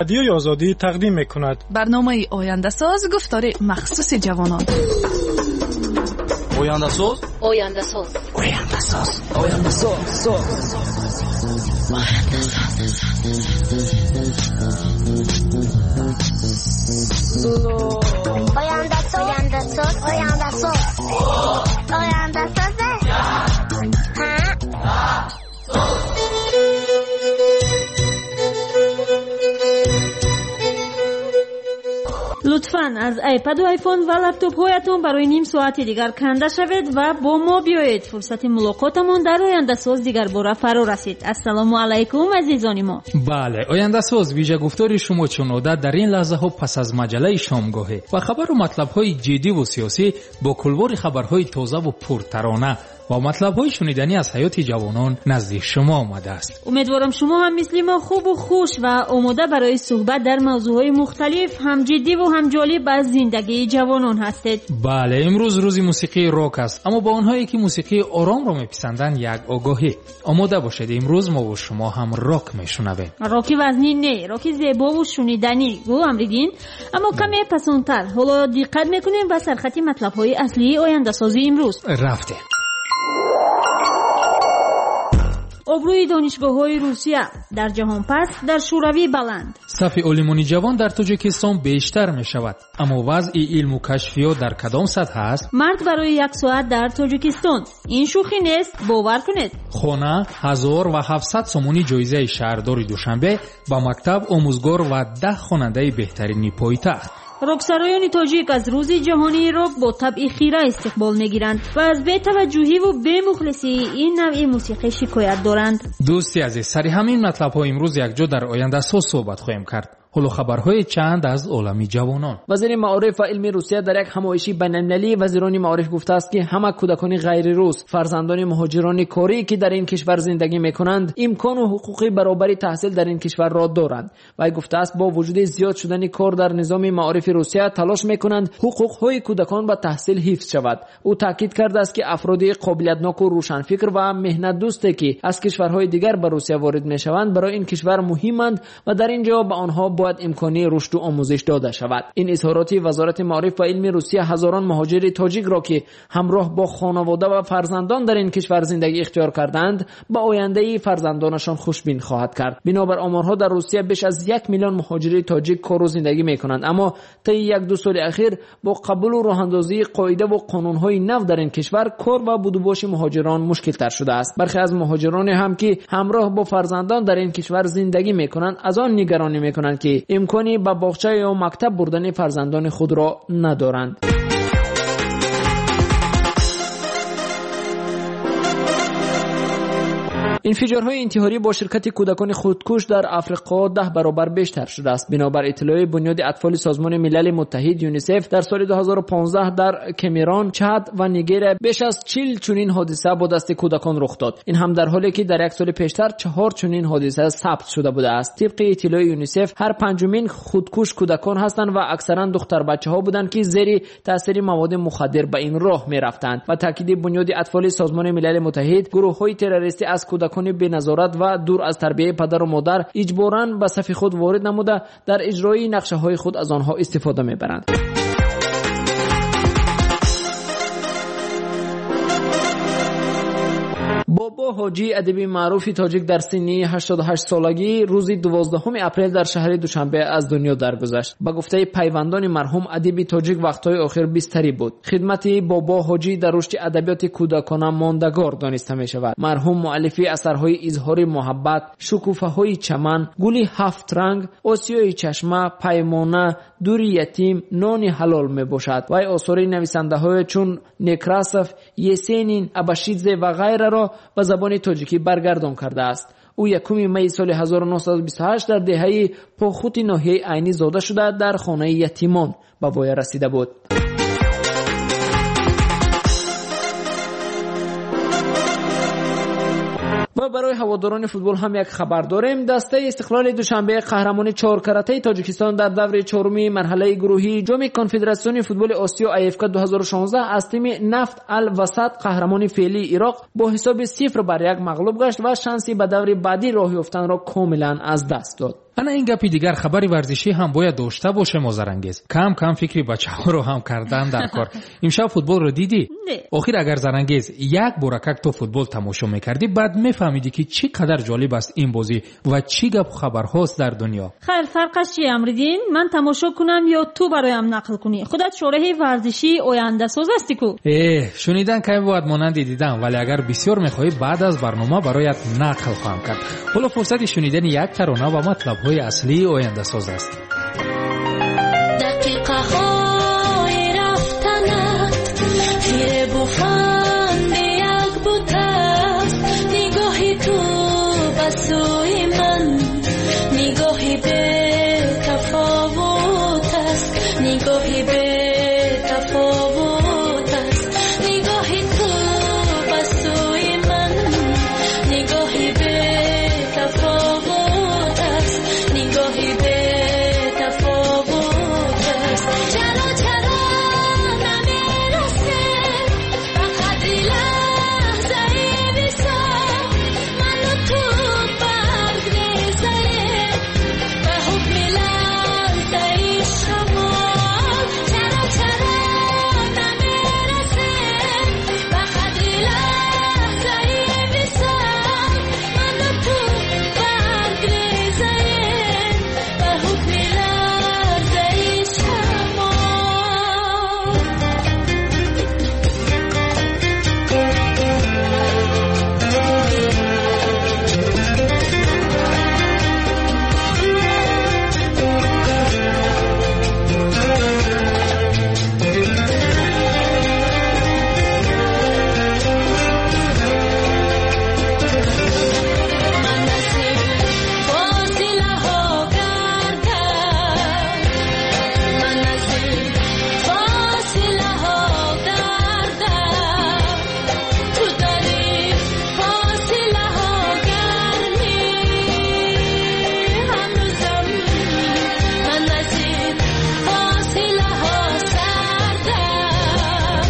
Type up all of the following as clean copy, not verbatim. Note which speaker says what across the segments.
Speaker 1: Радиои Озодӣ тақдим мекунад.
Speaker 2: Барномаи Ояндасоз, гуфтори махсуси ҷавонон.
Speaker 3: Ояндасоз,
Speaker 4: Ояндасоз,
Speaker 3: Ояндасоз, Ояндасоз,
Speaker 5: Ояндасоз, Ояндасоз, Ояндасоз, Ояндасоз.
Speaker 6: Лутфан аз iPad ва iPhone ва лаптопҳоятон барои ним соати дигар канда шавед ва бо мо биёед. Фурсати мулоқотамон дар Ояндасоз дигарбора фаро расид. Ассалому алайкум, азизони мо.
Speaker 7: Бале, Ояндасоз вижагуфтори шумо чун одат дар ин лаҳзаҳо пас аз маҷаллаи шомгоҳӣ ва хабару матлабҳои ҷиддиву сиёсӣ бо кулвори хабарҳои тозаву пуртарона ва матлабҳои шуниданӣ аз ҳаёти ҷавонон назди шумо омадааст.
Speaker 6: Умедворам, шумо ҳам мисли мо хубу хуш ва омода барои суҳбат дар мавзӯъҳои мухталиф, ҳам ҷиддиву ҳам ҷолиб аз зиндагии ҷавонон ҳастед.
Speaker 7: Бале, имрӯз рӯзи мусиқии рок аст, аммо ба онҳое ки мусиқии оромро меписанданд, як огоҳӣ: омода бошед, имрӯз мову шумо ҳам рок мешунавем.
Speaker 6: Роки вазнин не, роки зебову шуниданӣ, гӯ Амриддин, аммо каме пасонтар. Ҳоло диққат мекунем ба сархати матлабҳои аслии Ояндасози имрӯз.
Speaker 7: Рафтем.
Speaker 6: Обрӯи донишгоҳҳои Русия дар ҷаҳон паст, дар Шӯравӣ баланд.
Speaker 7: Сафи олимони ҷавон дар Тоҷикистон бештар мешавад, аммо вазъи илму кашфиёт дар кадом сатҳ аст?
Speaker 6: Марг барои як соат дар Тоҷикистон. Ин шӯхӣ нест, бовар кунед.
Speaker 7: Хона, 1700 сомонӣ ҷоизаи шаҳрдори Душанбе ба мактаб, омӯзгор ва 10 хонандаи беҳтарини пойтахт.
Speaker 6: Роксароёни тоҷик аз рӯзи ҷаҳонии рок бо табъи хира истиқбол мегиранд ва аз бетаваҷҷӯҳиву бемухлисии ин навъи мусиқӣ шикоят доранд.
Speaker 7: Дӯсти азиз, сари ҳамин матлабҳо имрӯз якҷо дар Ояндасоз суҳбат хоҳем кард. Ҳоло хабарҳои чанд аз олами ҷавонон.
Speaker 8: Вазири маориф ва илми Русия дар як ҳамоиши байналмилалии вазирони маориф гуфтааст, ки ҳама кӯдакони ғайрирус, фарзандони муҳоҷирони корӣ, ки дар ин кишвар зиндагӣ мекунанд, имкону ҳуқуқи баробари таҳсил дар ин кишварро доранд. Вай гуфтааст, бо вуҷуди зиёд шудани кор дар низоми маорифи Русия талош мекунанд ҳуқуқҳои кӯдакон ба таҳсил ҳифз шавад. Ӯ таъкид кардааст, ки афроди қобилиятноку рӯшанфикр ва меҳнатдӯсте, ки аз кишварҳои дигар ба Русия ворид мешаванд, барои ин кишвар муҳиманд ва дар ин ҷо ба онҳо бояд имкони рушду омӯзиш дода шавад. Ин изҳороти вазорати маориф ва илми Русия ҳазорон муҳоҷири тоҷикро, ки ҳамроҳ бо хонавода ва фарзандон дар ин кишвар зиндагӣ ихтиёр карданд, ба ояндаи фарзандонашон хушбин хоҳад кард. Бинобар оморҳо, дар Русия беш аз 1 миллион муҳоҷири тоҷик кору зиндагӣ мекунанд, аммо таи як-ду соли ахир бо қабулу роҳандозии қоидаву қонунҳои нав дар ин кишвар кор ва будубоши муҳоҷирон мушкилтар шудааст. Бархе аз муҳоҷироне ҳам, ки ҳамроҳ бо фарзандон дар ин кишвар зиндагӣ мекунанд, аз он нигаронӣ мекунанд, ки имкони ба боғча ё мактаб бурдани фарзандони худро надоранд. Инфиҷорҳои интиҳорӣ бо ширкати кӯдакони худкуш дар Африқо 10 баробар бештар шудааст. Бинобар иттилои Бунёди атфоли Созмони Милали Муттаҳид ЮНИСЕФ, дар соли 2015 дар Кемерон, Чад ва Нигерия беш аз 40 чунин ҳодиса бо дасти кӯдакон рух дод. Ин ҳам дар ҳоле ки дар як соли пештар чаҳор чунин ҳодиса сабт шуда будааст. Тибқи иттилои ЮНИСЕФ, ҳар панҷумин худкуш кӯдакон ҳастанд ва аксаран духтарбачаҳо буданд, ки зери таъсири маводи мухаддир ба ин роҳ мерафтанд. Ба таъкиди Бунёди атфоли Созмони Милали Муттаҳид, гурӯҳҳои террористӣ аз кӯдакони беназорат ва дур аз тарбияи падару модар иҷборан ба сафи худ ворид намуда, дар иҷрои нақшаҳои худ аз онҳо истифода мебаранд. Бобо Ҳоҷӣ, адиби маъруфи тоҷик, дар синни 88 солагӣ рӯзи 12 апрел дар шаҳри Душанбе аз дунё даргузашт. Ба гуфтаи пайвандони марҳум, адиби тоҷик вақтҳои охир бистарӣ буд. Хидмати Бобо Ҳоҷӣ дар рушди адабиёти кӯдакона мондагор дониста мешавад. Марҳум муаллифи асарҳои Изҳори муҳаббат, Шукуфаҳои чаман, Гули ҳафтранг, Осиёи чашма, Паймона, Дури ятим, Нони ҳалол мебошад. Вай осори нависандаҳое чун Некрасов, Есенин, Абашидзе ва ғайраро ба забони тоҷикӣ баргардон кардааст. Ӯ 1 майи соли 1928 дар деҳаи Похути ноҳияи Айнӣ зода шуда, дар хонаи ятимон ба воя расида буд. Ва барои ҳаводорони футбол ҳам як хабар дорем. Дастаи Истиқлоли Душанбе, қаҳрамони чоркаратаи Тоҷикистон, дар даври чоруми марҳалаи гурӯҳии Ҷоми Конфедератсиони футболи Осиё АФК 2016 аз тими Нафт Ал Васат, қаҳрамони феълии Ироқ, бо ҳисоби 0-1 мағлуб гашт ва шанси ба даври баъдӣ роҳ ёфтанро комилан аз даст дод.
Speaker 7: Ана ин гапи дигар, хабари варзишӣ ҳам бояд дошта бошем, Озарангез. Кам кам фикри бачаҳоро ҳам кардан дар кор. Имшаб футболро дидӣ?
Speaker 6: Не.
Speaker 7: Охир агар, Зарангез, як боракак ту футбол тамошо мекардӣ, баъд мефаҳмидӣ, ки чӣ қадар ҷолиб аст ин бозӣ ва чӣ гапу хабарҳост дар дунё.
Speaker 6: Хайр, фарқаш чи, Амриддин, ман тамошо кунам ё ту бароям нақл кунӣ? Худат шореҳи варзишии ояндасоз ҳастӣ ку.
Speaker 7: Э, шунидан кай бувад монанди дидан, вале агар бисёр мехоҳӣ, баъд аз барнома бароят нақл хоҳам кард. Ҳоло фурсати шунидани як тарона ва матлабҳои аслии ояндасоз аст.
Speaker 4: Дақиқаҳои рафтанат фиребу фанди як бутаст. Нигоҳи ту ба сӯи ман нигоҳи бетафовут аст, нигоҳи бетафовут аст. Нигоҳи ту ба сӯи ман нигоҳи бетафовут аст, нигоҳи бетафовут аст. Чаро, чаро намерасем ба қадри лаҳзаи висол? Ману ту барг мезанем ба ҳукми ларзаи шамол. Чаро, чаро намерасем ба қадри лаҳзаи висол? Ману ту барг мезанем ба ҳукми ларзаи шамол. Ман аз ин фосилаҳо гардам, ман аз ин фосилаҳо гардам, ту дар ин фосилаҳо гармӣ ҳанӯзам. Ман аз ин фосилаҳо сардам.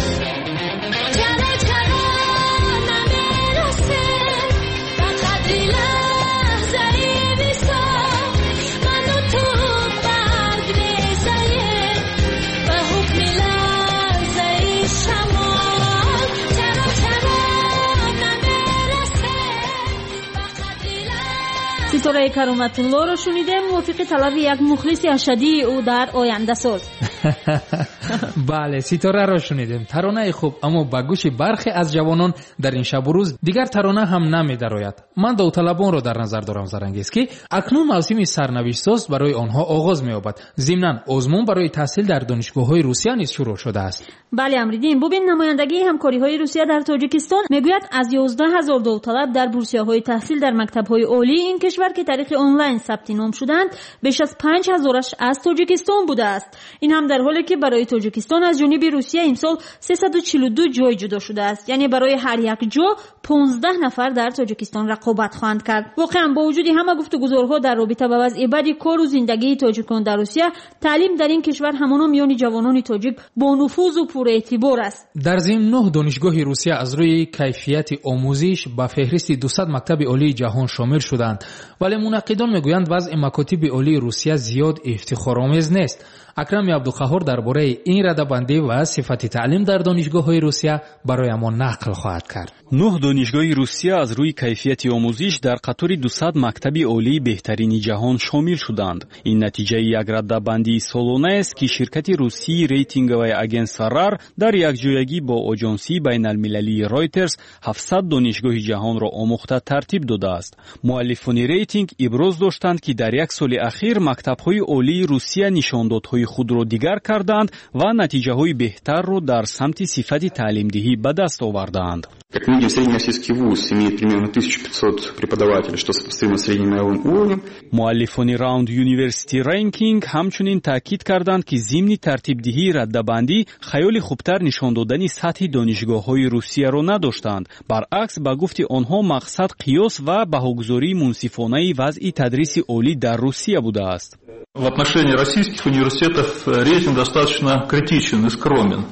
Speaker 4: Чаро, чаро намерасем ба қадри лаҳзаи висол? Ману ту барг мезанем ба ҳукми ларзаи шамол. Чаро, чаро намерасем ба қадри
Speaker 6: Ситораи Кароматуллоро шунидем, мувофиқи талаби як мухлиси ашаддии ӯ дар ояндасоз.
Speaker 7: Бале, Ситораро шунидем, таронаи хуб, аммо ба гӯши бархе аз ҷавонон дар ин шабу рӯз дигар тарона ҳам намедарояд. Ман довталабонро дар назар дорам, Зарангез, ки акнун мавсими сарнавиштсоз барои онҳо оғоз меёбад. Зимнан озмун барои таҳсил дар донишгоҳҳои Русия низ шурӯъ шудааст.
Speaker 6: Бале, Амриддин, бубин, намояндагии ҳамкориҳои Русия дар Тоҷикистон мегӯяд, аз 11 000 довталаб дар бурсияҳои таҳсил дар мактабҳои олии ин кишвар, ки тариқи онлайн сабти ном шуданд, беш аз 5000-аш аз Тоҷикистон будааст. Ин ҳам дар ҳоле ки барои Тоҷикистон аз ҷониби Русия имсол 342 ҷой ҷудо шудааст, яъне барои ҳар як ҷо 15 нафар дар Тоҷикистон рақобат хоҳанд кард. Воқеан, бо вуҷуди ҳама гуфтугузорҳо дар робита ба вазъи бади кору зиндагии тоҷикон дар Русия, таълим дар ин кишвар ҳамоно миёни ҷавонони тоҷик бонуфузу пурэътибор аст.
Speaker 7: Дар зимн, нӯҳ донишгоҳи Русия аз рӯи кайфияти омӯзиш ба феҳристи 200 мактаби олии ҷаҳон шомил шуданд, вале мунаққидон мегӯянд, вазъи макотиби олии Русия зиёд ифтихоромез нест. Акрами Абдуқаҳҳор дар бораи ин радабандӣ ва сифати таълим дар донишгоҳҳои Русия барои мо нақл хоҳад кард.
Speaker 9: Нӯҳ донишгоҳи Русия аз рӯи кайфияти омӯзиш дар қатори 200 мактаби олии беҳтарини ҷаҳон шомил шуданд. Ин натиҷаи як радабандии солонаест, ки ширкати русии рейтинговое агентство РАР дар якҷоягӣ бо оҷонсии байналмилалии Ройтерс 700 донишгоҳи ҷаҳонро омӯхта тартиб додааст. Муаллифони рейтинг иброз доштанд, ки дар як соли ахир мактабҳои олии Русия нишондодҳои худро дигар карданд ва натиҷаҳои беҳтарро дар самти сифати таълимдиҳӣ ба даст овардаанд.
Speaker 10: Как мы видим, средний российский вуз имеет примерно 1500 преподавателей, что сопоставимо с средним мировым уровнем.
Speaker 9: Муаллифони Round University Ranking ҳамчунин таъкид карданд, ки зимни тартибдиҳии раддабандӣ хаёли хубтар нишон додани сатҳи донишгоҳҳои Русияро надоштанд. Баръакс, ба гуфти онҳо, мақсад қиёс ва баҳогузории мунсифонаи вазъи тадриси олӣ дар Русия будааст.
Speaker 11: В отношении российских университетов рейтинг достаточно критичен и скромен.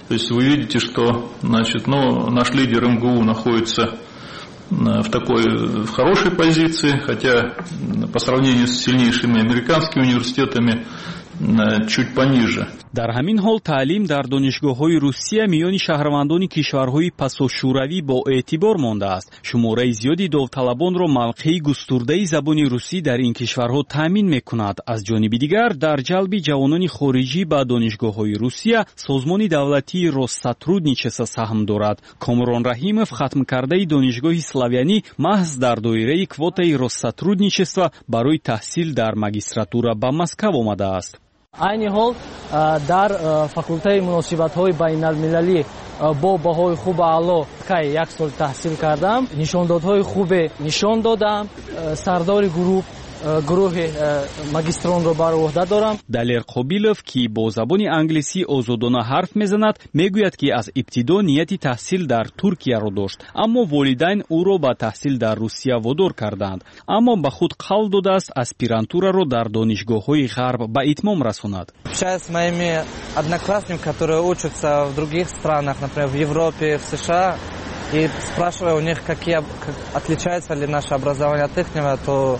Speaker 11: То есть вы видите, что, значит, ну, наш лидер МГУ находится в хорошей позиции, хотя по сравнению с сильнейшими американскими университетами чуть пониже.
Speaker 9: Дар ҳамин ҳол таълим дар донишгоҳҳои Русия миёни шаҳрвандони кишварҳои пасошӯравӣ бо эътибор мондааст. Шумораи зиёди довталабонро мавқеи густурдаи забони русӣ дар ин кишварҳо таъмин мекунад. Аз ҷониби дигар, дар ҷалби ҷавонони хориҷӣ ба донишгоҳҳои Русия созмони давлатии Россотрудничество саҳм дорад. Комрон Раҳимов, хатмкардаи донишгоҳи славянӣ, маҳз дар доираи квотаи Россотрудничество барои таҳсил дар магистратура ба Москав омадааст.
Speaker 12: Айни ҳол дар факултаи муносибатҳои байналмилалӣ бо баҳои хуб аъло кай як сол таҳсил кардам, нишондодҳои хубе нишон додам, сардори гурӯҳи магистронро бар уҳда дорам.
Speaker 9: Далер Қобилов, ки бо забони англисӣ озодона ҳарф мезанад, мегӯяд, ки аз ибтидо нияти таҳсил дар Туркияро дошт, аммо волидайн ӯро ба таҳсил дар Русия водор карданд. Аммо ба худ қавл додааст аспирантураро дар донишгоҳҳои ғарб ба итмом расонад.
Speaker 13: Общаюсь с моими одноклассниками, которые учатся в других странах, например, в Европе, в США, и спрашиваю у них, какие отличается ли наше образование от ихнего, то,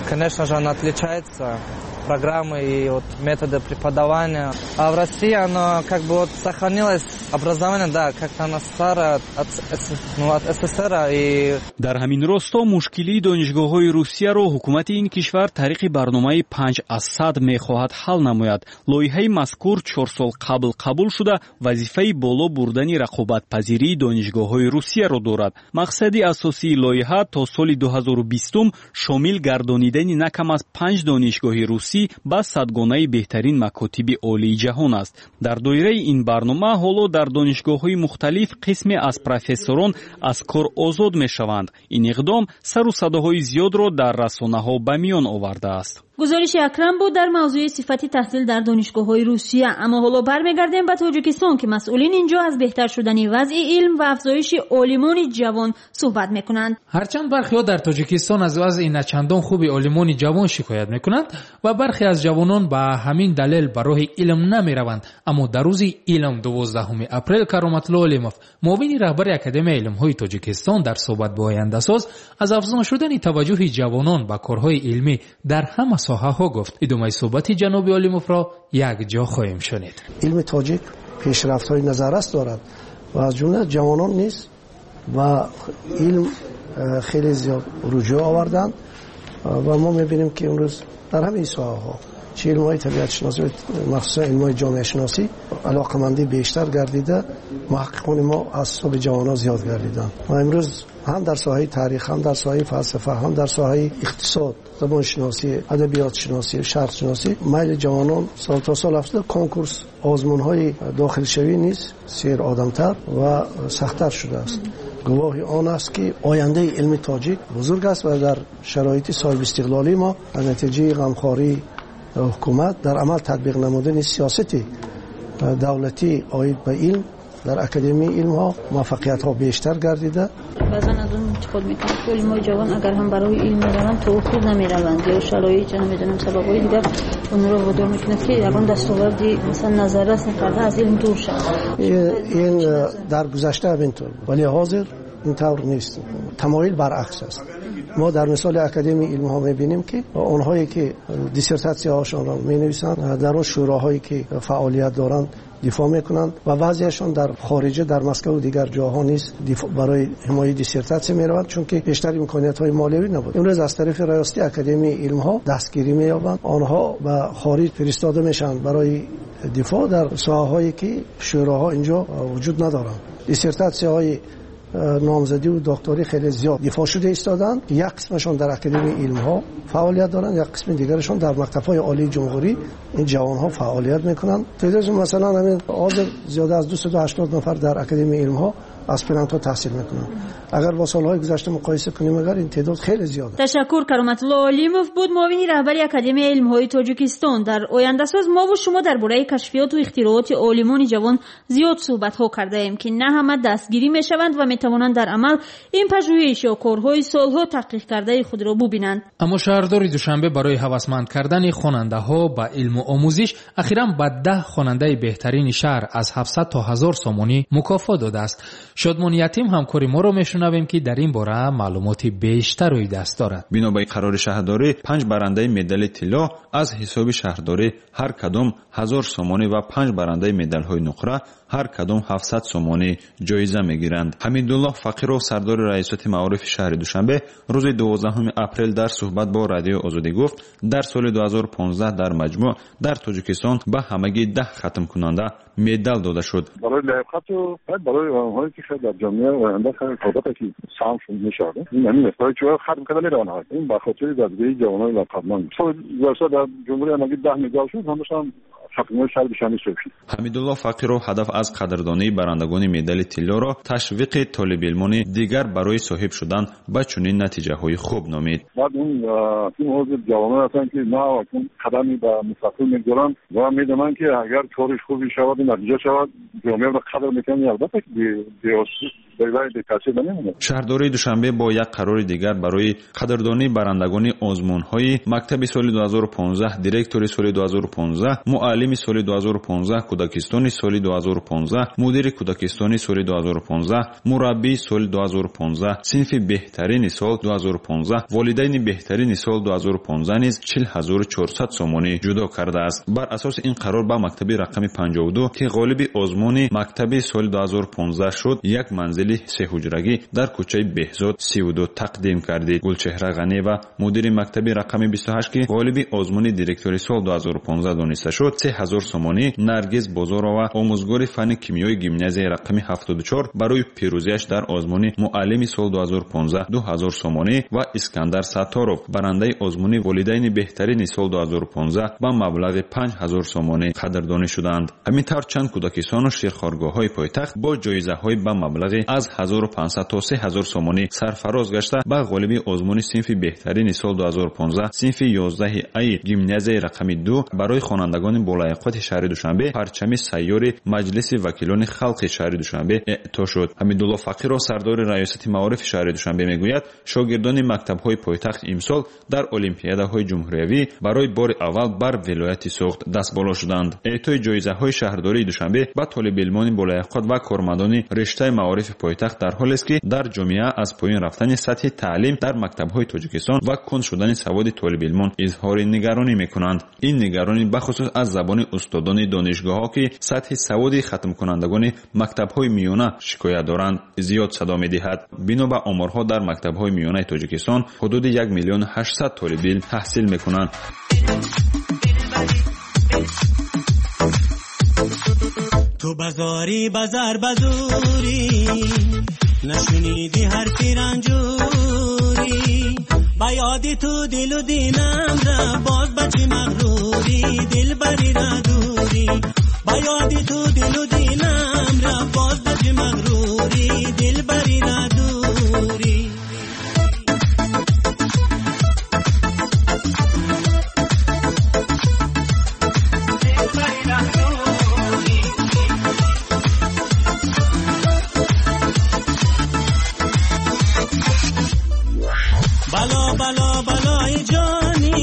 Speaker 13: конечно же, оно отличается, программы и вот методы преподавания. А в России оно как бы вот сохранилось, образование, да, как-то оно старое от СССР. И
Speaker 9: дар ҳамин росто мушкилии донишгоҳҳои Русияро ҳукумати ин кишвар тариқи барномаи 5 аз 100 мехоҳад ҳал намояд. Лоиҳаи мазкур 4 сол қабл қабул шуда, вазифаи боло бурдани рақобатпазирии донишгоҳҳои Русияро дорад. Мақсади асосии лоиҳа то соли 2020 шомил гардонидани на кам аз панҷ донишгоҳи русӣ ба садгонаи беҳтарин макотиби олии ҷаҳон аст. Дар доираи ин барнома ҳоло дар донишгоҳҳои мухталиф қисме аз профессорон аз кор озод мешаванд. Ин иқдом сару садоҳои зиёдро дар расонаҳо ба миён овардааст.
Speaker 6: Гузориши Акрам буд дар мавзӯи сифати таҳсил дар донишгоҳҳои Русия. Аммо ҳоло бармегардем ба Тоҷикистон, ки масъулин инҷо аз беҳтар шудани вазъи илм ва афзоиши олимони ҷавон суҳбат мекунанд.
Speaker 7: Ҳарчанд бархеҳо дар Тоҷикистон аз вазъи начандон хуби олимони ҷавон шикоят мекунанд ва бархе аз ҷавонон ба ҳамин далел ба роҳи илм намераванд, аммо дар рӯзи илм, 12 апрел, Кароматулло Олимов, муовини раҳбари Академияи илмҳои Тоҷикистон, дар суҳбат бо Ояндасоз аз афзун шудани таваҷҷӯҳи ҷавонон ба корҳои илмӣ дар ҳама соҳаҳо гуфт. Идомаи суҳбати ҷаноби Олимовро якҷо хоҳем шунид.
Speaker 14: Илми тоҷик пешрафтҳои назаррас дорад ва аз ҷумла ҷавонон низ ба илм хеле зиёд руҷӯъ оварданд ва мо мебинем, ки имрӯз дар ҳамаи соҳаҳо, чи илмҳои табиатшиносӣ, махсусан илмҳои ҷомеашиносӣ, алоқамандӣ бештар гардида, муҳаққиқони мо аз ҳисоби ҷавонон зиёд гардиданд ва имрӯз ҳам дар соҳаи таърих, ҳам дар соҳаи фалсафа, ҳам дар соҳаи иқтисод, забоншиносӣ, адабиётшиносӣ, шарқшиносӣ майли ҷавонон сол то сол афзуда, конкурс, озмунҳои дохилшавӣ низ серодамтар ва сахттар шудааст. Гувоҳи он аст, ки ояндаи илми тоҷик бузург аст ва дар шароити соҳибистиқлолии мо аз натиҷаи ғамхории ҳукумат дар амал татбиқ намудани сиёсати давлатӣ оид ба илм дар Академияи илмҳо муваффақиятҳо бештар гардида.
Speaker 6: Баъзан аз он интиқод мекунанд, ки олимои ҷавон агар ҳам барои илм мераванд, то охир намераванд ё шароит, намедонам, сабабҳои дигар онро водор мекунад, ки ягон дастоварди, масалан, назаррас накарда аз илм дур шавад.
Speaker 14: Ин дар гузашта ҳаминтур буд, вале ҳозир ин тавр нест, тамоил баръакс аст. Мо дар мисоли Академияи илмҳо мебинем, ки онҳое ки диссертатсияҳошонро менависанд, дар он шӯроҳое ки фаъолият доранд дифоъ мекунанд ва баъзеашон дар хориҷа, дар Москва ва дигар ҷоҳо низ барои ҳимояи диссертатсия мераванд, чунки бештар имкониятҳои молиявӣ набуд. Имрӯз аз тарафи раёсати Академияи илмҳо дастгирӣ меёбанд, онҳо ба хориҷ фиристода мешаванд барои дифоъ дар соҳаҳое ки шӯроҳо инҷо вуҷуд надоранд. Диссертатсияҳои номзадиву докторӣ хеле зиёд дифоъ шуда истоданд. Як қисмашон дар Академияи илмҳо фаъолият доранд, як қисми дигарашон дар мактабҳои олии ҷумҳурӣ ин ҷавонҳо фаъолият мекунанд. Масалан, ҳамин ҳозир зиёда аз 280 нафар дар Академияи илмҳо аспирантҳо таҳсил мекунанд. Агар бо солҳои гузашта муқоиса кунем, агар ин теъдод хеле зиёд.
Speaker 6: Ташаккур. Кароматулло Олимов буд, муовини раҳбари Академияи илмҳои Тоҷикистон. Дар Ояндасоз мову шумо дар бораи кашфиёту ихтирооти олимони ҷавон зиёд суҳбатҳо кардаем, ки на ҳама дастгирӣ мешаванд ва метавонанд дар амал ин пажӯҳиш ё корҳои солҳо таҳқиқ кардаи худро бубинанд.
Speaker 7: Аммо шаҳрдори Душанбе барои ҳавасманд кардани хонандаҳо ба илму омӯзиш ахиран ба 10 хонандаи беҳтарини шаҳр аз 700 то 1000 сомонӣ мукофот додааст. Шодмон Ятим ҳамкори моро мешунавем, ки дар ин бора маълумоти бештар рӯи даст дорад.
Speaker 15: Бино ба қарори шаҳрдорӣ, 5 барандаи медали тилло аз ҳисоби шаҳрдорӣ ҳар кадом 1000 сомонӣ ва 5 барандаи медалҳои нуқра ҳар кадом 700 сомонӣ ҷоиза мегиранд. Ҳамидуллоҳ Фақиров, сардори раёсати маорифи шаҳри Душанбе, рӯзи 12 апрел дар суҳбат бо Радиои Озодӣ гуфт, дар соли 2015 дар маҷмӯъ дар Тоҷикистон ба ҳамагӣ 10 хатмкунанда медал дода шуд.
Speaker 16: Барои лаёқату барои онҳое ки дар ҷомеа оянда албатта ки саҳмшон мешавад. Ин ҳамин аст. Барои чӣ хатм карда мераванд? Ин ба хотири дастгирии ҷавонони лаёқатманд. Соли гузашта дар ҷумҳурӣ ҳамагӣ 10 медал шуд, ҳамашон хатмҳои шаҳри Душанбе шуд.
Speaker 15: Ҳамидуллоҳ Фақиров ҳадаф аз қадрдонии барандагони медали тиллоро ташвиқи толибилмони дигар барои соҳиб шудан ба чунин натиҷаҳои хуб номид.
Speaker 16: Баъд он ҳозир ҷавонон ҳастанд, ки нав қадами ба мустақил мегузоранд ва медонанд, ки агар кори хубе шавад ва натиҷа шавад, ҷомеаро қадр мекунанд. Албатта ки бетаъсир намемонад.
Speaker 15: Шаҳрдории Душанбе бо як қарори дигар барои қадрдонии барандагони озмунҳои мактаби соли 2015, директори соли 2015, муаллими соли 2015, кӯдакистони соли 2015, мудири кӯдакистони соли 2015, мураббии соли 2015, синфи беҳтарини сол 2015, волидайни беҳтарини сол 2015 низ 40400 сомонӣ ҷудо кардааст. Бар асоси ин қарор ба мактаби рақами 52, ки ғолиби озмуни мактаби соли 2015 шуд, як манзили сеҳуҷрагӣ дар кӯчаи Беҳзод 32 тақдим кардид. Гулчеҳра Ғанева, мудири мактаби рақами 28, ки ғолиби озмуни директори сол 2015 дониста шуд, 3000 сомонӣ. Наргиз Бозорова, омӯзгори фанни кимиёи гимназияи рақами 74, барои пирӯзиаш дар озмуни муаллими сол 2015 2000 сомонӣ ва Искандар Сатторов, барандаи озмуни волидайни беҳтарини сол 2015, ба маблағи 5000 сомонӣ қадрдонӣ шуданд. Ҳамин тавр чанд кӯдакистону ширхоргоҳҳои пойтахт бо ҷоизаҳои ба маблағи аз 1500 то 3000 сомонӣ сарфароз гашта, ба ғолиби озмуни синфи беҳтарини сол 2015, синфи 11 аи гимназияи рақами 2, барои хонандагони болаёқати шаҳри Душанбе парчами сайёри Маҷлиси вакилони халқи шаҳри Душанбе эъто шуд. Ҳамидуллоҳ Фақиров, сардори раёсати маорифи шаҳри Душанбе, мегӯяд, шогирдони мактабҳои пойтахт имсол дар олимпиадаҳои ҷумҳуриявӣ барои бори аввал бар вилояти Суғд дастболо шуданд. Эътои ҷоизаҳои шаҳрдории Душанбе ба толибилмони болаёқат ва кормандони риштаи маорифи пойтахт дар ҳолест, ки дар ҷомеа аз поён рафтани сатҳи таълим дар мактабҳои Тоҷикистон ва кунд шудани саводи толибилмон изҳори нигаронӣ мекунанд. Ин нигаронӣ бахусус аз забони устодони донишгоҳҳо, ки сатҳи саводи хатмкунандагони мактабҳои миёна шикоят доранд, зиёд садо медиҳад. Бино ба оморҳо, дар мактабҳои миёнаи Тоҷикистон ҳудуди 1 800 000 толибилм таҳсил мекунанд.
Speaker 17: Ту базорӣ базар базурӣ, нашунидӣ ҳарфи ранҷурӣ, ба ёди ту дилу динам ра боз ба чӣ мағрурӣ, дилбарӣ ра дурӣ, ба ёди ту дилу динам ра боз ба чӣ мағрурӣ, дилбарӣ ра дурӣ. Бало бало балои ҷонӣ,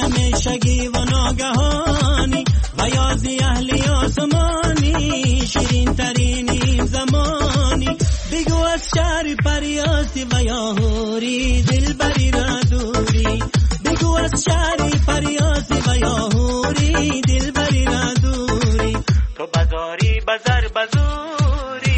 Speaker 17: ҳамешагӣ ва ногаҳонӣ, ва ёзи аҳли осмонӣ, ширинтарин замонӣ, бигӯ аз шаҳри париёсӣ ва ё ҳурӣ, дилбарӣ ра дурӣ, бигӯ аз шаҳри париёсӣ ва ё ҳурӣ, дилбарӣ ра дурӣ, ту базорӣ базар базурӣ.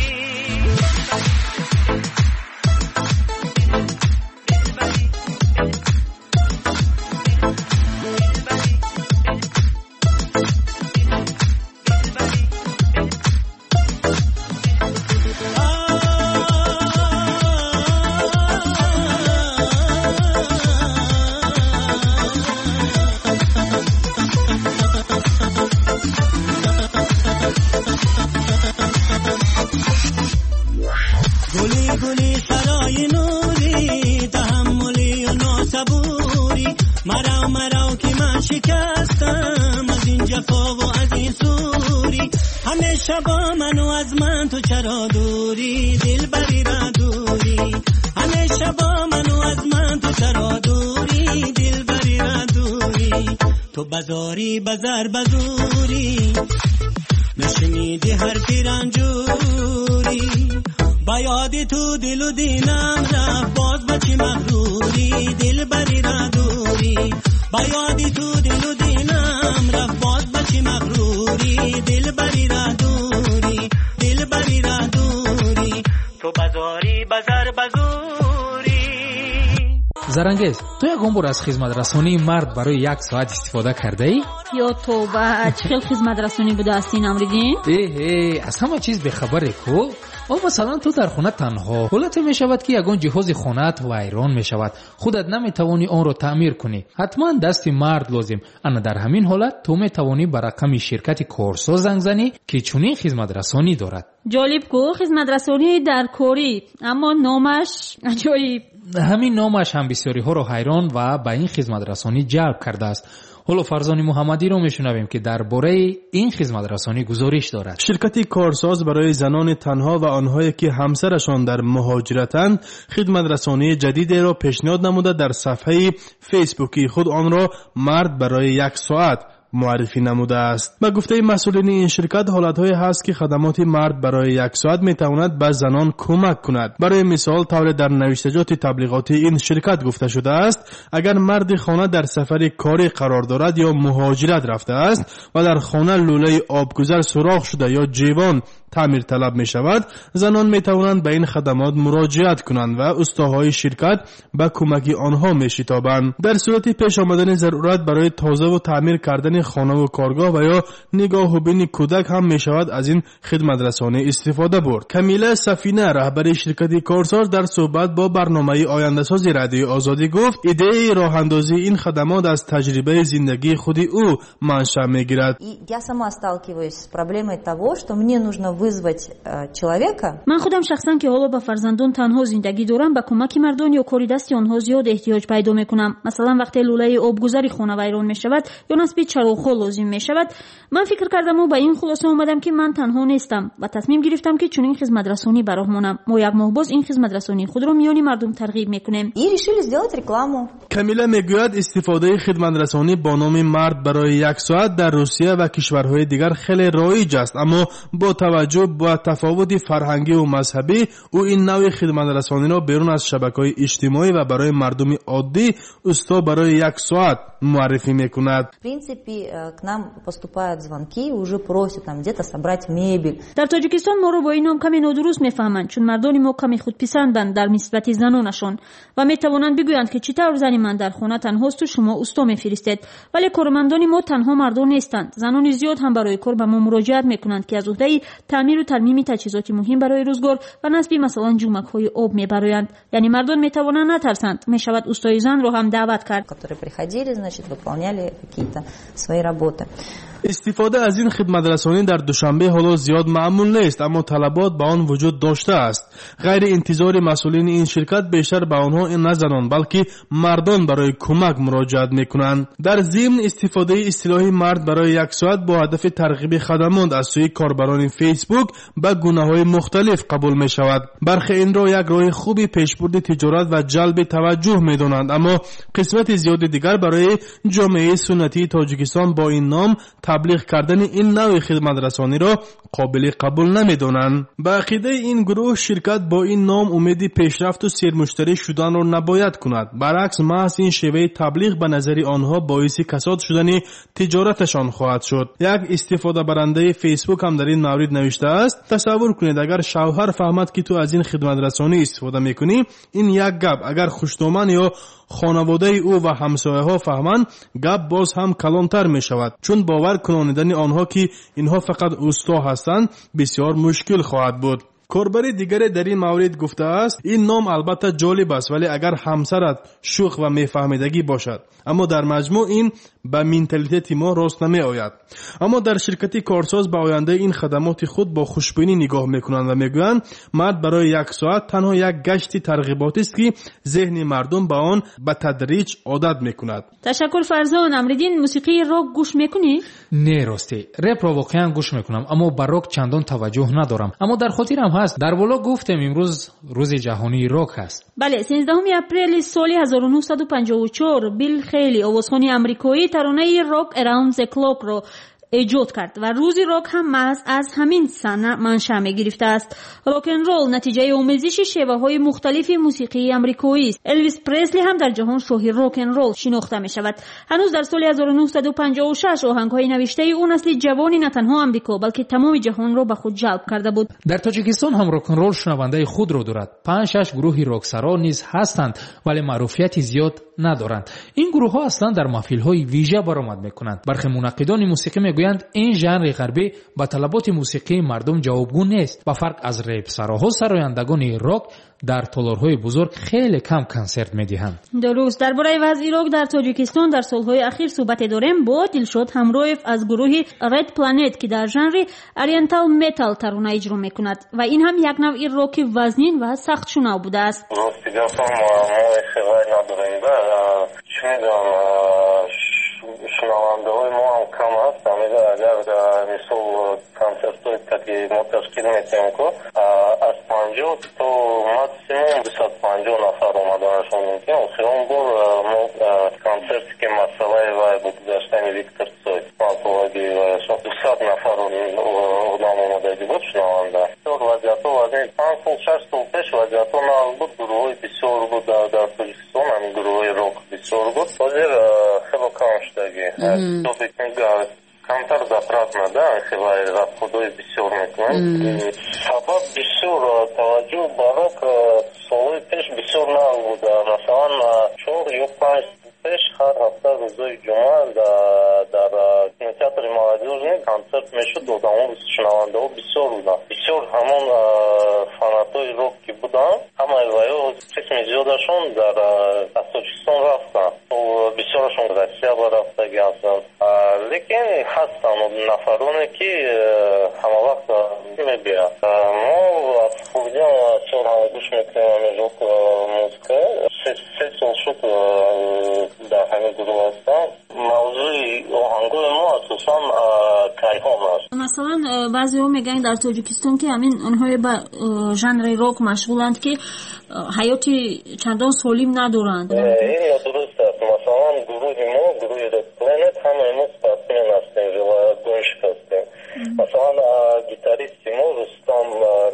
Speaker 17: ҳамеша бо ману аз ман ту чаро дурӣ, дилбарӣ ра дурӣ, ҳамеша бо ману аз ман ту чаро дурӣ, дилбарӣ ра дурӣ, ту базорӣ базар базурӣ, нашунидӣ ҳарфи ранҷурӣ, Ба ёди ту дилу динам рафт, боз ба чӣ мағрурӣ, дилбарӣ ро дурӣ. Ба ёди ту дилу динам рафт, боз ба чӣ мағрурӣ, дилбарӣ ро дурӣ, дилбарӣ ро дурӣ. Ту базорӣ базар базурӣ.
Speaker 7: Зарангез, ту ягон бор аз хизматрасонии мард барои як соат истифода кардаӣ?
Speaker 6: Ё тоба, чӣ хел хизматрасонӣ будааст ин, Амриддин?
Speaker 7: Эҳе, аз ҳама чиз бехабаре ку. О, масалан, ту дар хона танҳо. Ҳолате мешавад, ки ягон ҷиҳози хонаат вайрон мешавад. Худат наметавонӣ онро таъмир кунӣ. Ҳатман дасти мард лозим. Ана дар ҳамин ҳолат ту метавонӣ ба рақами ширкати корсоз занг занӣ, ки чунин хизматрасонӣ дорад.
Speaker 6: Ҷолиб ку, хизматрасонӣ дар корӣ, аммо номаш аҷоиб.
Speaker 7: Ҳамин номаш ҳам бисёриҳоро ҳайрон ва ба ин хизматрасонӣ ҷалб кардааст. Ҳоло Фарзони Муҳаммадиро мешунавем, ки дар бораи ин хизматрасонӣ гузориш дорад.
Speaker 18: Ширкати корсоз барои занони танҳо ва онҳое ки ҳамсарашон дар муҳоҷиратанд, хидматрасонии ҷадидеро пешниҳод намуда, дар сафҳаи фейсбукии худ онро мард барои як соат муаррифӣ намудааст. Ба гуфтаи масъулини ин ширкат, ҳолатҳое ҳаст, ки хадамоти мард барои як соат метавонад ба занон кӯмак кунад. Барои мисол, тавре дар навиштаҷоти таблиғотии ин ширкат гуфта шудааст, агар марди хона дар сафари корӣ қарор дорад ё муҳоҷират рафтааст ва дар хона лӯлаи обгузар сурох шуда ё ҷивон таъмирталаб мешавад, занон метавонанд ба ин хадамот муроҷиат кунанд ва устоҳои ширкат ба кӯмаки онҳо мешитобанд. Дар сурати пеш омадани зарурат барои тозаву таъмир кардани хонаву коргоҳ ва ё нигоҳубини кӯдак ҳам мешавад аз ин хидматрасонӣ истифода бурд. Камила Сафина, раҳбари ширкати корсоз, дар суҳбат бо барномаи ояндасози Радиои Озодӣ гуфт, идеяи роҳандозии ин хадамот аз таҷрибаи зиндагии худи ӯ маншаъ мегирад.
Speaker 19: Я сама сталкиваюсь с проблемой того, что мне нужно вызвать человека.
Speaker 6: Ман худам шахсан, ки ҳоло ба фарзандон танҳо зиндагӣ дорам, ба кӯмаки мардон ё кори дасти онҳо зиёд эҳтиёҷ пайдо мекунам. Масалан, вақте лӯлаи обгузари хона вайрон мешавад ё насби чароғҳо лозим мешавад, ман фикр кардаму ба ин хулоса омадам, ки ман танҳо нестам ва тасмим гирифтам, ки чунин хизматрасонӣ ба роҳ монам. Мо як моҳ боз ин хизматрасонии худро миёни мардум тарғиб мекунем.
Speaker 19: И решили сделать рекламу.
Speaker 18: Камила мегӯяд, истифодаи хидматрасонӣ бо номи мард барои як соат дар Русия ва кишварҳои дигар хеле роиҷ аст, аммо бо таваҷҷӯҳ ба тафовути фарҳангиву мазҳабӣ ӯ ин навъи хидматрасониро берун аз шабакаҳои иҷтимоӣ ва барои мардуми оддӣ усто барои як соат муаррифӣ мекунад.
Speaker 19: В принципе, к нам поступают звонки, уже просят там где-то собрать мебель.
Speaker 6: Дар Тоҷикистон моро бо ин ном каме нодуруст мефаҳманд, чун мардони мо каме худписанданд дар нисбати занонашон ва метавонанд бигӯянд, ки чӣ тавр зани ман дар хона танҳосту шумо усто мефиристед. Вале кормандони мо танҳо мардон нестанд. Занони зиёд ҳам барои кор ба мо муроҷиат мекунанд, ки аз уҳдаи таъмиру тармими таҷҳизоти муҳим барои рӯзгор ва насби масалан ҷумакҳои об мебароянд. Яъне мардон метавонанд натарсанд, мешавад устои занро ҳам даъват кард.
Speaker 19: Которые приходили, значит, выполняли какие-то свои работы.
Speaker 18: Истифода аз ин хидматрасонӣ дар Душанбе ҳоло зиёд маъмул нест, аммо талабот ба он вуҷуд доштааст. Ғайри интизори масъулини ин ширкат, бештар ба онҳо на занон, балки мардон барои кӯмак муроҷиат мекунанд. Дар зимн, истифодаи истилоҳи мард барои як соат бо ҳадафи тарғиби хадамот аз сӯи корбарони Фейсбук ба гунаҳои мухталиф қабул мешавад. Бархе инро як роҳи хуби пешбурди тиҷорат ва ҷалби таваҷҷӯҳ медонанд, аммо қисмати зиёди дигар барои ҷомеаи суннатии Тоҷикистон бо ин ном таблиғ кардани ин навъи хидматрасониро қобили қабул намедонанд. Ба ақидаи ин гурӯҳ, ширкат бо ин ном умеди пешрафту сермуштарӣ шуданро набояд кунад. Баръакс, маҳз ин шеваи таблиғ ба назари онҳо боиси касод шудани тиҷораташон хоҳад шуд. Як истифодабарандаи Фейсбук ҳам дар ин маврид навиштааст: тасаввур кунед, агар шавҳар фаҳмад, ки ту аз ин хидматрасонӣ истифода мекунӣ, ин як гап, агар хушдоман ё хонаводаи ӯ ва ҳамсояҳо фаҳманд, гап боз ҳам калонтар мешавад, чун бовар кунонидани онҳо, ки инҳо фақат усто ҳастанд, бисёр мушкил хоҳад буд. Корбари дигаре дар ин маврид гуфтааст, ин ном албатта ҷолиб аст, вале агар ҳамсарат шӯх ва мефаҳмидагӣ бошад, аммо дар маҷмӯъ ин ба менталитети мо рост намеояд. Аммо дар ширкати корсоз ба ояндаи ин хадамоти худ бо хушбинӣ нигоҳ мекунанд ва мегӯянд, мард барои як соат танҳо як гашти тарғиботист, ки зеҳни мардум ба он ба тадриҷ одат мекунад.
Speaker 6: Ташаккур, Фарзон. Амриддин, мусиқии рок гӯш мекунӣ?
Speaker 7: Не, ростӣ репро воқеан гӯш мекунам, аммо ба рок чандон таваҷҷӯҳ надорам. Аммо дар хотирам ҳаст, дар боло гуфтем, имрӯз рӯзи ҷаҳонии рок аст.
Speaker 6: Бале, 13 апрели соли 1954 Билл Хейли, овозхони амрикоӣ, таронаи Rock Around the Clock-ро эҷод кард ва рӯзи рок ҳам маҳз аз ҳамин сана маншаъ мегирифтааст. Рок-н-ролл натиҷаи омезиши шеваҳои мухталифи мусиқии амрикоист. Элвис Пресли ҳам дар ҷаҳон шоҳи рок-н-ролл шинохта мешавад. Ҳанӯз дар соли 1956 оҳангҳои навиштаи ӯ насли ҷавони на танҳо Амрико, балки тамоми ҷаҳонро ба худ ҷалб карда буд.
Speaker 7: Дар Тоҷикистон ҳам рок-н-ролл шунавандаи худро дорад. 5-6 гурӯҳи роксаро низ ҳастанд, вале маъруфияти зиёд надоранд. Ин гурӯҳҳо аслан дар маҳфилҳои вижа баромад мекунанд. Бархе мунаққидони мусиқӣ мегӯянд, ин жанри ғарбӣ ба талаботи мусиқии мардум ҷавобгӯ нест. Ба фарқ аз репсароҳо, сарояндагони рок дар толорҳои бузург хеле кам консерт медиҳанд.
Speaker 6: Дуруст. Дар бораи вазъи рок дар Тоҷикистон дар солҳои ахир суҳбате дорем бо Дилшод Ҳамроев аз гурӯҳи Red Planet, ки дар жанри Oriental Metal тарона иҷро мекунад ва ин ҳам як навъи роки вазнин ва сахтшунав будааст.
Speaker 20: Рости гапам, мо хеле надорем, да, чӣ медонам, шунавандаҳои мо ҳам кам аст. Агар мисол консертҳои ки мо ташкил метиҳем, ку аз 50 то максимум 250 нафар омаданашон мумкин. Охирон бор мо консерте ки масъалаи вай буд, гузаштани Виктор Цой, панҷсолагии вайашон, 200 нафар одам омадагӣ буд шунаванда. Бисёр вазъиятҳо вазъи 5 сол, 6 сол пеш вазъиятҳо нағз буд, гурӯҳҳои бисёр буд дар Тоҷикистон, ҳамин гурӯҳҳои рок бисёр буд. Ҳозир хело кам шудагӣ. Камтар затратно, да, хеле расходҳои бисёр мекунанд. Сабаб бисёр таваҷҷӯҳ ба рок солҳои пеш бисёр нағз буд. Масалан, 4 ё 5 сол пеш ҳар ҳафта рӯзои ҷумъа дар кинотеатри Молодёжный консерт мешуд, одамо, шунавандаҳо бисёр буданд. Бисёр ҳамон фанатҳои рок ки буданд, ҳамаи ваё қисми зиёдашон дар аз Тоҷикистон рафтанд. Бисёрашон Россия ба рафтагӣ ҳастанд. Лекин ҳастанд нафароне ки ҳамавақт мебиёянд. Мо аз хурдиам бисёр ҳам гӯш мекунем ҳамин рок музыка. 3 сол шуд дар ҳамин гурӯҳ ҳастам. Мавзӯи оҳангои мо асосан кайҳон аст.
Speaker 6: Масалан, баъзеҳо мегӯянд дар Тоҷикистон, ки ҳамин онҳое ба жанри рок машғуланд, ки ҳаёти чандон солим надоранд.
Speaker 20: Ин нодуруст аст. Масалан, гурӯҳи мо, гурӯҳи Red Planet, ҳамаи мо спортсмен ҳастем, велогонщик ҳастем. Масалан, гитаристи мо Рустам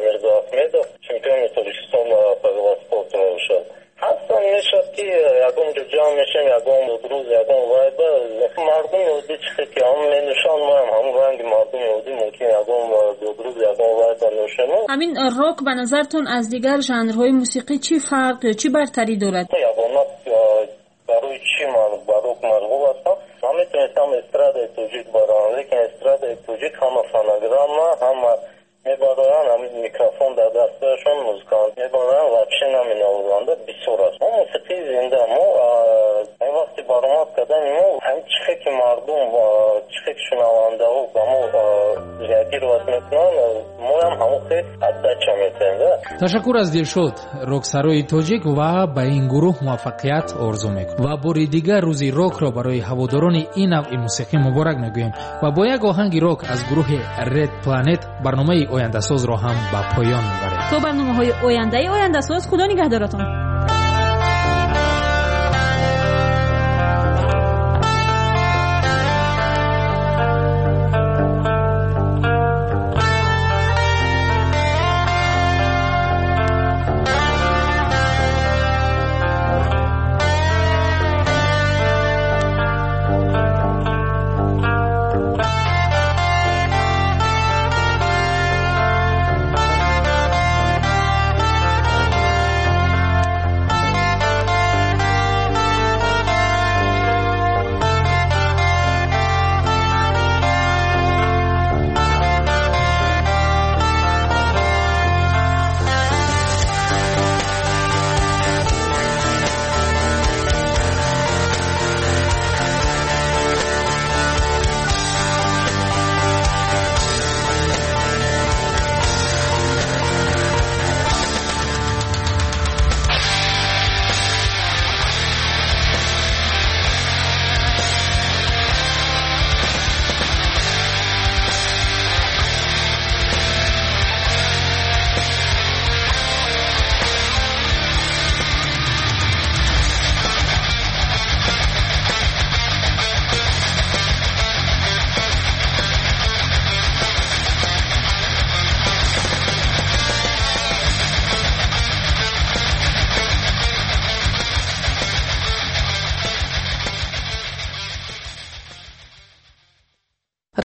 Speaker 20: Мирзоахмедов чемпиони Тоҷикистон по велоспорту мебошад. Ҳастан, мешавад ки ягон ҷо ҷамъ мешавем, ягон рӯз, ягон вайба, мардуми оддӣ чихе ки ҳам менӯшанд, моам ҳамон ранги мардуми оддӣ мумкин ягон рӯз, ягон вайба нӯшем.
Speaker 6: Ҳамин рок ба назартон аз дигар жанрҳои мусиқӣ чӣ фарқ ё чӣ бартарӣ дорад?
Speaker 20: Ягона барои чӣ ман ба рок машғул ҳастам? Ман метавонистам эстрадаи тоҷик барам, лекин эстрадаи тоҷик ҳама фонограмма, ҳама мебароянд, ҳамин микрофон дар дасташон, музыкант мебароянд, вообще наменавозанд, бисёр аст. Мо мусиқии зинда, мо ин вақти баромад кардани мо ҳамин чихе ки мардум, чихе ки шунавандаҳо ба мо реагировать мекунанд, моям ҳамон хел отдача метиҳем, да.
Speaker 7: Ташаккур аз Дилшод, роксарои тоҷик, ва ба ин гурӯҳ муваффақият орзу мекунем. Ва бори дигар рӯзи рокро барои ҳаводорони ин навъи мусиқӣ муборак мегӯем ва бо як оҳанги рок аз гурӯҳи Red Planet барномаи ояндасозро ҳам ба поён мебарем.
Speaker 6: То барномаҳои ояндаи ояндасоз, худо нигаҳдоратон.